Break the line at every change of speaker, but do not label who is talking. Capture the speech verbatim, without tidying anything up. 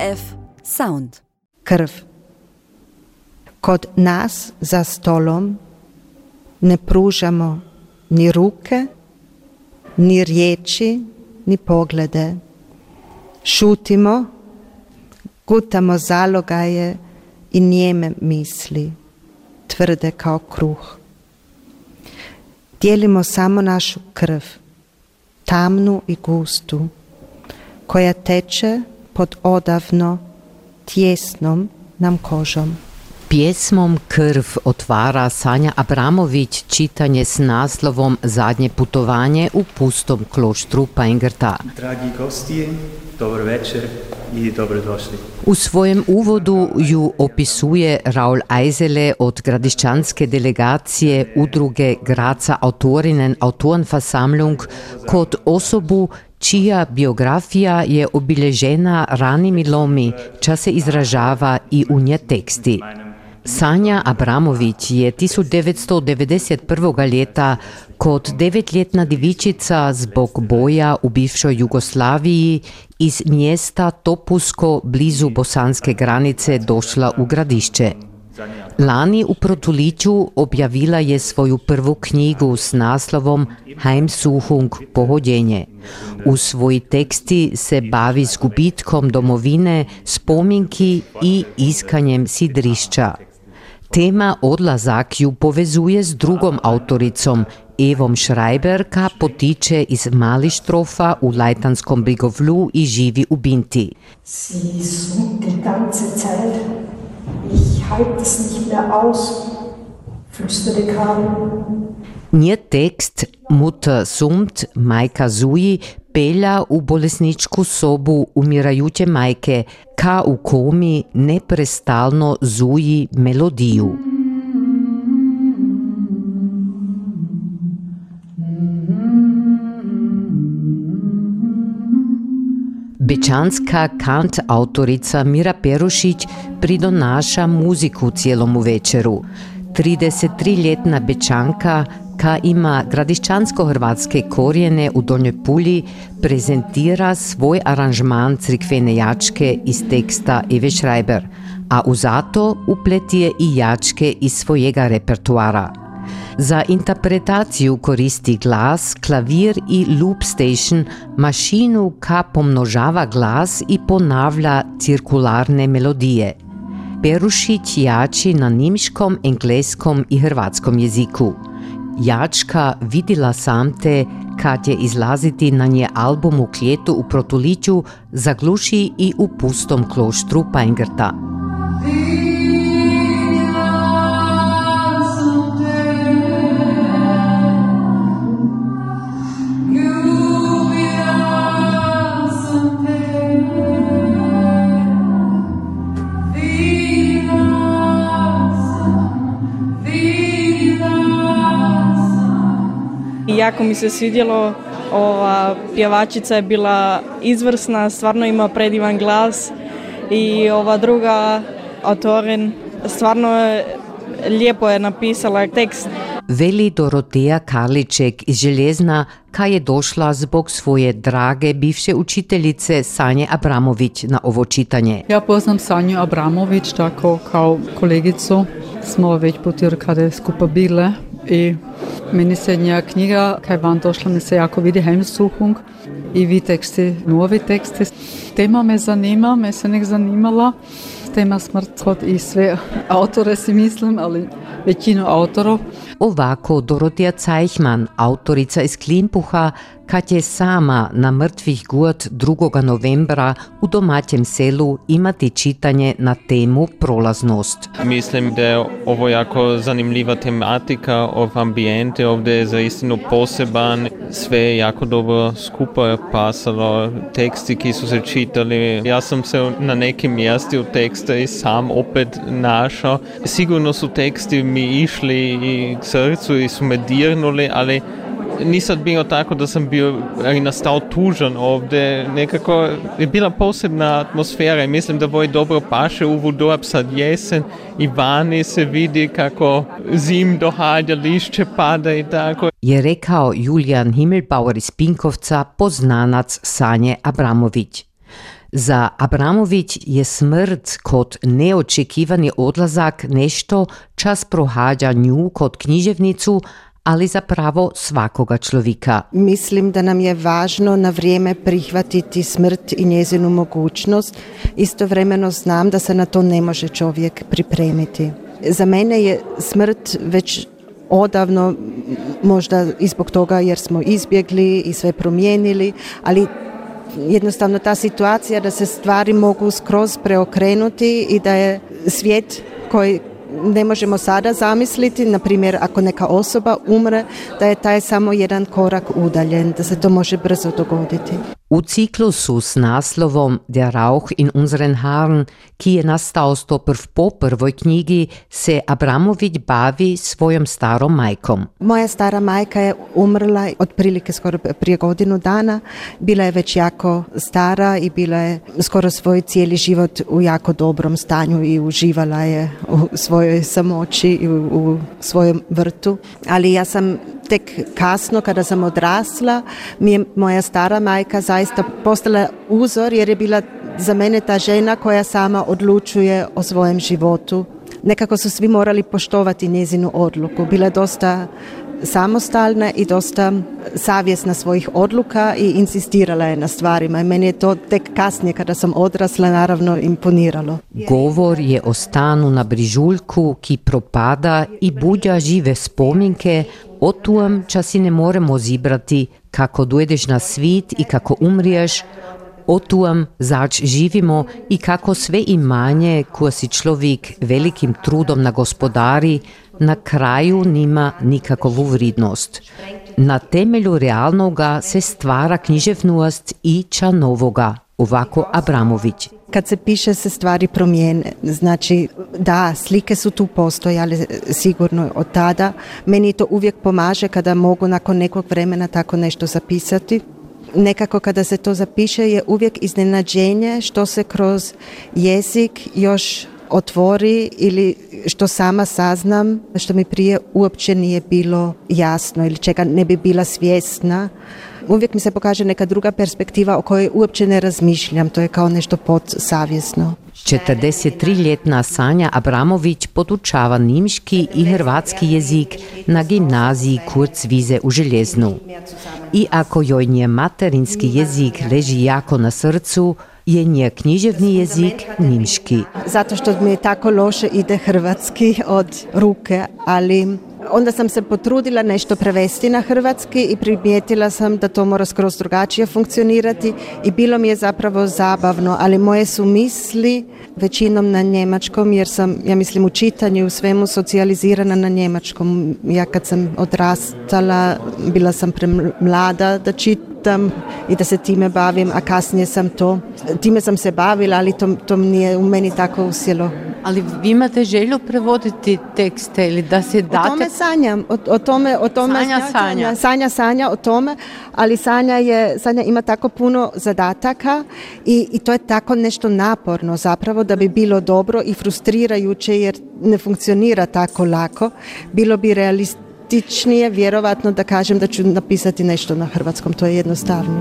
F Sound.
Krv. Kod nas za stolom ne pružamo ni ruke, ni riječi, ni poglede. Šutimo, gutamo zalogaje i nijeme misli, tvrde kao kruh. Dijelimo samo našu krv, tamnu i gustu, koja teče pod odavno tjesnom nam kožom.
Pjesmom Krv otvara Sanja Abramović čitanje s naslovom Zadnje putovanje u pustom kloštru Pajngrta.
Dragi gosti, dobar večer i dobrodošli.
U svojem uvodu ju opisuje Raul Eisele od gradišćanske delegacije udruge Graca Autorinnen Autorenversammlung kod osobu čija biografija je obilježena ranimi lomi, ča se izražava i u nje teksti. Sanja Abramović je tisuć devetsto devedeset prvog ljeta kot devetljetna divičica zbog boja u bivšoj Jugoslaviji iz mjesta Topusko blizu bosanske granice došla u Gradišće. Lani u Protuliću objavila je svoju prvu knjigu s naslovom Heimsuchung, pohodjenje. U svoji teksti se bavi s gubitkom domovine, spominki i iskanjem sidrišća. Tema odlazak ju povezuje s drugom autoricom, Evom Schreiber, ka potiče iz Malištrofa u Lajtanskom Brigovlu i živi u Binti.
Sie sucht die ganze Zeit. Ich halte es nicht mehr aus, flüsterte Karl.
Nje tekst Mutter sumt, majka zuji, pelja u bolesničku sobu umirajuće majke, ka u komi neprestalno zuji melodiju. Bečanska kant-autorica Mira Perušić pridonaša muziku cijelomu večeru. tridesetljetna Bečanka, ka ima gradišćansko-hrvatske korijene u Donjoj Pulji, prezentira svoj aranžman crkvene jačke iz teksta Eve Schreiber, a u zato upletije i jačke iz svojega repertoara. Za interpretaciju koristi glas, klavir i loop station, mašinu ka pomnožava glas i ponavlja cirkularne melodije. Perušić jači na nimškom, engleskom i hrvatskom jeziku. Jačka Vidila sam te, kad je izlaziti na nje album u Kljetu u Protuliću, zagluši i u pustom kloštru Pajngrta.
Jako mi se svidjelo, ova pjevačica je bila izvrsna, stvarno ima predivan glas i ova druga autorin stvarno je, lijepo je napisala tekst.
Veli Doroteja Karliček iz Željezna, ka je došla zbog svoje drage bivše učiteljice Sanje Abramović na ovo čitanje.
Ja poznam Sanju Abramović tako kao kolegicu, smo već putirkade skupa bile i meni se nja knjiga, kaj vam došla, mi se jako vidi Heimsuchung i vi teksti, novi teksti. Tema me zanima, me se nek zanimala, tema smrt i sve autore si mislim, ali većinu autorov.
Ovako Doroteja Cajhman, autorica iz Klimpuha, kad je sama na mrtvih gud drugog novembra u domaćem selu imati čitanje na temu prolaznost.
Mislim da je ovo jako zanimljiva tematika, ov ambijente ovdje je zaistinu poseban, sve je jako dobro skupa pasalo, teksti ki su se čitali. Ja sam se na nekim mjesti u teksta i sam opet našao. Sigurno su teksti mi išli i k srcu i su me dirnuli, ali nisam bio tako da sam bio i nastao tužan ovdje, nekako je bila posebna atmosfera i mislim da voj dobro paše u Vudoab sad jesen i vani se vidi kako zim dohađa, lišće pada i tako.
Je rekao Julijan Himmelbauer iz Pinkovca, poznanac Sanje Abramović. Za Abramović je smrt kot neočekivani odlazak nešto čas prohađa nju kot književnicu, ali zapravo svakoga človeka.
Mislim da nam je važno na vrijeme prihvatiti smrt i njezinu mogućnost. Istovremeno znam da se na to ne može čovjek pripremiti. Za mene je smrt već odavno, možda i zbog toga jer smo izbjegli i sve promijenili, ali jednostavno ta situacija da se stvari mogu skroz preokrenuti i da je svijet koji ne možemo sada zamisliti, na primjer ako neka osoba umre, da je taj samo jedan korak udaljen, da se to može brzo dogoditi.
U ciklusu s naslovom Der Rauch in unseren Haaren, ki je nastao stoprv po prvoj knjigi, se Abramović bavi svojom starom majkom.
Moja stara majka je umrla otprilike skoro prije godinu dana. Bila je već jako stara i bila je skoro svoj cijeli život u jako dobrom stanju i uživala je u svojoj samoći i u, u svojem vrtu. Ali ja sam tek kasno, kada sam odrasla, mi je moja stara majka zaista postala uzor jer je bila za mene ta žena koja sama odlučuje o svojem životu. Nekako su svi morali poštovati njezinu odluku. Bila je dosta samostalna i dosta savjesna svojih odluka i insistirala je na stvarima. I meni je to tek kasnije, kada sam odrasla, naravno imponiralo.
Govor je o stanu na Brižuljku, ki propada i budja žive spominke o tujem, ča si ne moremo zibrati, kako dojdeš na svit i kako umriješ, o tujem, zač živimo i kako sve imanje, koje si človek velikim trudom nagospodari, na kraju nima nikakovu vrednost. Na temelju realnoga se stvara književnost i ča novoga, ovako Abramović.
Kad se piše se stvari promijene, znači da, slike su tu postojale sigurno od tada. Meni to uvijek pomaže kada mogu nakon nekog vremena tako nešto zapisati. Nekako kada se to zapiše je uvijek iznenađenje što se kroz jezik još otvori ili što sama saznam, što mi prije uopće nije bilo jasno ili čega ne bi bila svjesna. Uvijek mi se pokaže neka druga perspektiva o kojoj uopće ne razmišljam, to je kao nešto podsavjesno.
četrdesettriljetna Sanja Abramović podučava nimški i hrvatski jezik na gimnaziji Kurzwiese u Željeznu. I ako joj nje materinski jezik leži jako na srcu, je nje književni jezik nimški.
Zato što mi je tako loše ide hrvatski od ruke, ali onda sam se potrudila nešto prevesti na hrvatski i primijetila sam da to mora skroz drugačije funkcionirati i bilo mi je zapravo zabavno, ali moje su misli većinom na njemačkom jer sam, ja mislim, u čitanju u svemu socijalizirana na njemačkom. Ja kad sam odrastala, bila sam premlada da čitam i da se time bavim, a kasnije sam to, time sam se bavila, ali to, to nije u meni tako usjelo.
Ali vi imate želju prevoditi tekste ili da se date...
O tome sanjam, o, o tome... O tome
sanja, sanja.
Sanja, sanja o tome, ali Sanja, je, Sanja ima tako puno zadataka i, i to je tako nešto naporno zapravo da bi bilo dobro i frustrirajuće jer ne funkcionira tako lako. Bilo bi realističnije, vjerovatno da kažem da ću napisati nešto na hrvatskom, to je jednostavnije.